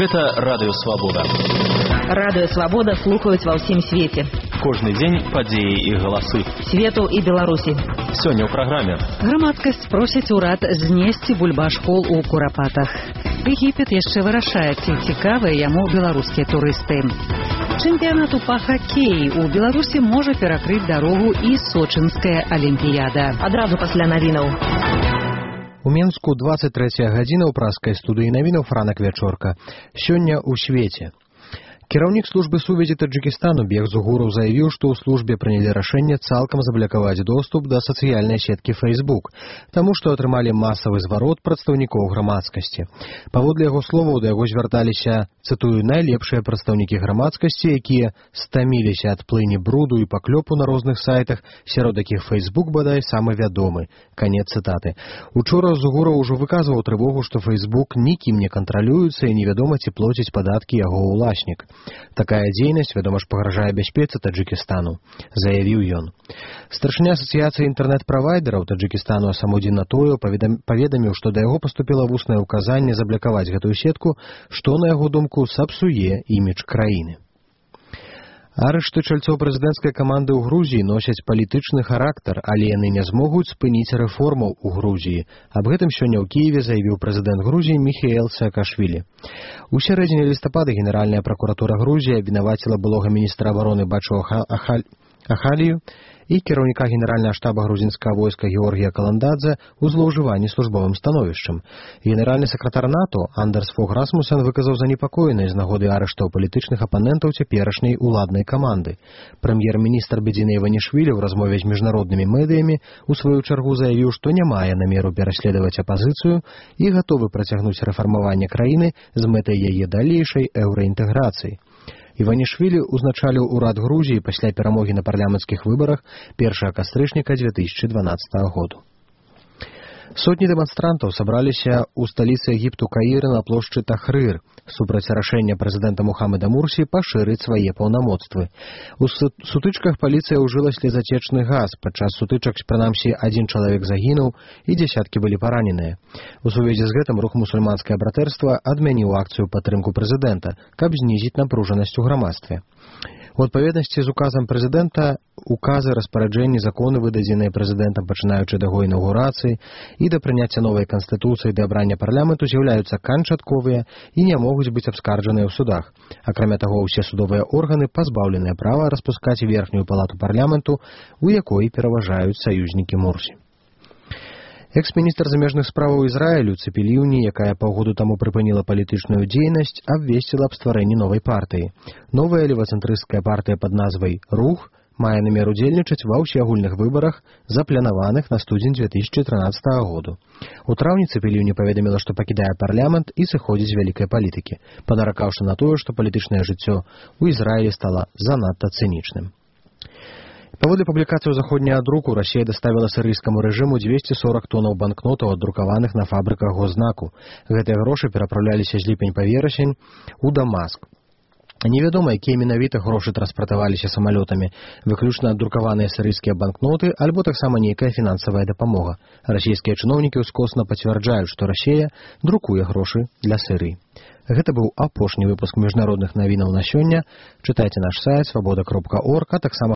Гэта радыёвабода. Радыёвабода слухаюць ва ўсім свеце. Кожны дзень падзеі і галасы. Свету і Беларусі. Сёння ў праграме. Грамадскасць просіць урад знесці бульбашкол у Курапатах. Егіпет яшчэ вырашае, ці цікавыя яму беларускія турысты. Чэмпіянату па хакеі ў Беларусі можа перакрыць дарогу і сочынская алімпіяда. Адразу пасля навінаў. У Менску 23 гадзіна ў праскай студыі навінаў Франак Вячорка. Сёння ў свеце. Кіраўнік службы сувязі Таджикістану Бег Зугуров заявіў, што ў службе прынялі рашэнне цалкам заблакаваць доступ да сацыяльнай сеткі Facebook, таму што атрымалі масавы зварот прадстаўнікоў грамадскасці. Паводле яго словаў, да яго звярталіся, цытую, найлепшыя прадстаўнікі грамадскасці, якія стаміліся ад плыні бруду і паклёпу на розных сайтах, сярод якіх Facebook бадай самы вядомы. Канец цытаты. Учора Зугуров ужо выказваў трывогу, што Facebook нікім не кантралюецца і невядома, ці плоціць падаткі яго ўласнік. Такая дзейнасць, вядома ж, пагражае бяспецы Таджикістану, заявіў ён. Старшыня асацыяцыі інтэрнэт-правайдераў Таджикістану Асамудзін Натоеў паведаміў, што да яго паступіла вуснае ўказанне заблакаваць гэтую сетку, што, на яго думку, сапсуе імідж краіны. Арышты чальцоў прэзідэнцкай каманды ў Грузіі носяць палітычны характар, але яны не змогуць спыніць рэформаў у Грузіі. Аб гэтым сёння ў Кіеве заявіў прэзідэнт Грузіі Міхеэл Саакашвілі. У сярэдзіне лістапада Генеральная пракуратура Грузіі абвінаваціла былога міністра абароны Бачо Ахалію і кіраўніка генеральнага штаба грузінскага войска Георгія Каландадзе ў злоўжыванні службовым становішчам. Генеральны сакратар НАТО Андерс Фог Расмусен выказаў занепакоенасць з нагоды арыштаў палітычных апанентаў цяперашняй уладнай каманды. Прэм'ер-міністр Бедзіна Іванішвілі ў размове з міжнароднымі медыямі у сваю чаргу заявіў, што не мае намеру пераследаваць апазіцыю і гатовы працягнуць рэфармаванне краіны з мэтай яе далейшай еўраінтэграцыі. Іванішвілі ўзначаліў урад Грузіі пасля перамогі на парламенцкіх выбарах 1 кастрычніка 2012 году. Сотні дэманстрантаў сабраліся ў сталіцы Егіпту Каіра на плошчы Тахрыр супраць рашэння прэзідэнта Мухаммеда Мурсі пашырыць свае паўнамоцтвы. У сутычках паліцыя ўжыла слезацечны газ. Падчас сутычак, прынамсі, 1 чалавек загінуў і дзясяткі былі параненыя. У сувязі з гэтым рух мусульманскае братэрства адмяніў акцыю падтрымку прэзідэнта, каб знізіць напружанасць у грамадстве. У адпаведнасці з указам прэзідэнта, указы, распараджэнні, законы, выдадзеныя прэзідэнтам, пачынаючы да яго інаўгурацыі і да прыняцця новай канстытуцыі да абрання парламенту, з'яўляюцца канчатковыя і не могуць быць абскарджаныя ў судах. Акрамя таго, усе судовыя органы пазбаўленыя права распускаць верхнюю палату парламенту, у якой пераважаюць саюзнікі Мурсі. Экс-міністр замежных справаў Ізраілю Цыпі Ліўні, якая паўгоду таму прыпыніла палітычную дзейнасць, абвесціла аб стварэнні новай партыі. Новая левацэнтрысцкая партыя пад назвай «Рух» мае намер удзельнічаць ва ўсеагульных выбарах, запланаваных на студзень 2013 году. У траўні Цыпі Ліўні паведаміла, што пакідае парламент і сыходзіць з вялікай палітыкі, падаракаўшы на тое, што палітычнае жыццё ў Ізраілі стала занадта цынічным. Паводле публікацыі ў заходняга друку, Расія даставіла сірыйскаму рэжыму 240 тонаў банкнотаў, аддрукаваных на фабрыках госзнаку. Гэтыя грошы перапраўляліся з ліпень па верасень у Дамаск. Невядома, якія менавіта грошы транспартаваліся самалётамі, выключна аддрукаваныя сірыйскія банкноты альбо таксама нейкая фінансавая дапамога. Расійскія чыноўнікі ўскосна пацвярджаюць, што Расія друкуе грошы для Сірыі. Гэта быў апошні выпуск міжнародных навінаў на сёння. Чытайце наш сайт свабода.орг, а таксама